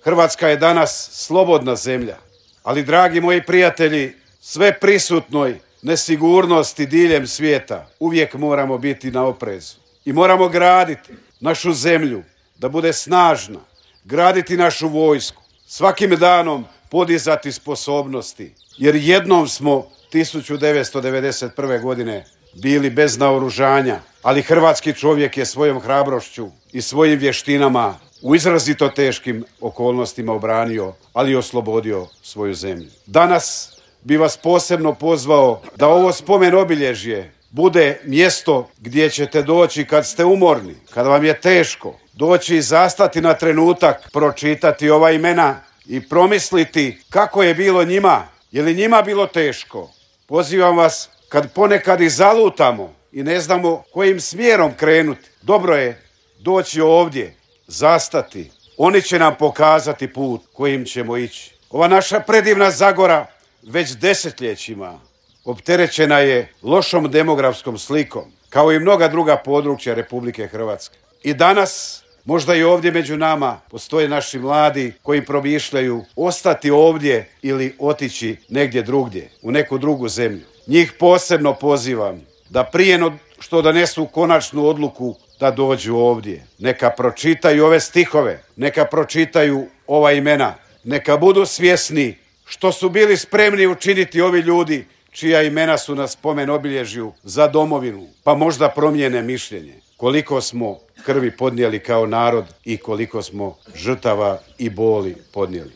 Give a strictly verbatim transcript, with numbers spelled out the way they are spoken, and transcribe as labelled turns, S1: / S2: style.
S1: Hrvatska je danas slobodna zemlja, ali, dragi moji prijatelji, sve prisutnoj nesigurnosti diljem svijeta uvijek moramo biti na oprezu. I moramo graditi našu zemlju da bude snažna, graditi našu vojsku, svakim danom podizati sposobnosti, jer jednom smo tisuću devetsto devedeset prve. godine bili bez naoružanja, ali hrvatski čovjek je svojom hrabrošću i svojim vještinama u izrazito teškim okolnostima obranio, ali i oslobodio svoju zemlju. Danas bi vas posebno pozvao da ovo spomen obilježje bude mjesto gdje ćete doći kad ste umorni, kad vam je teško, doći i zastati na trenutak, pročitati ova imena i promisliti kako je bilo njima. Je li njima bilo teško? Pozivam vas, kad ponekad i zalutamo i ne znamo kojim smjerom krenuti, dobro je doći ovdje, zastati. Oni će nam pokazati put kojim ćemo ići. Ova naša predivna Zagora već desetljećima opterećena je lošom demografskom slikom, kao i mnoga druga područja Republike Hrvatske. I danas, možda i ovdje među nama, postoje naši mladi koji promišljaju ostati ovdje ili otići negdje drugdje, u neku drugu zemlju. Njih posebno pozivam da prije što donesu konačnu odluku da dođu ovdje, neka pročitaju ove stihove, neka pročitaju ova imena, neka budu svjesni što su bili spremni učiniti ovi ljudi čija imena su na spomen obilježju za domovinu, pa možda promijene mišljenje. Koliko smo krvi podnijeli kao narod i koliko smo žrtava i boli podnijeli.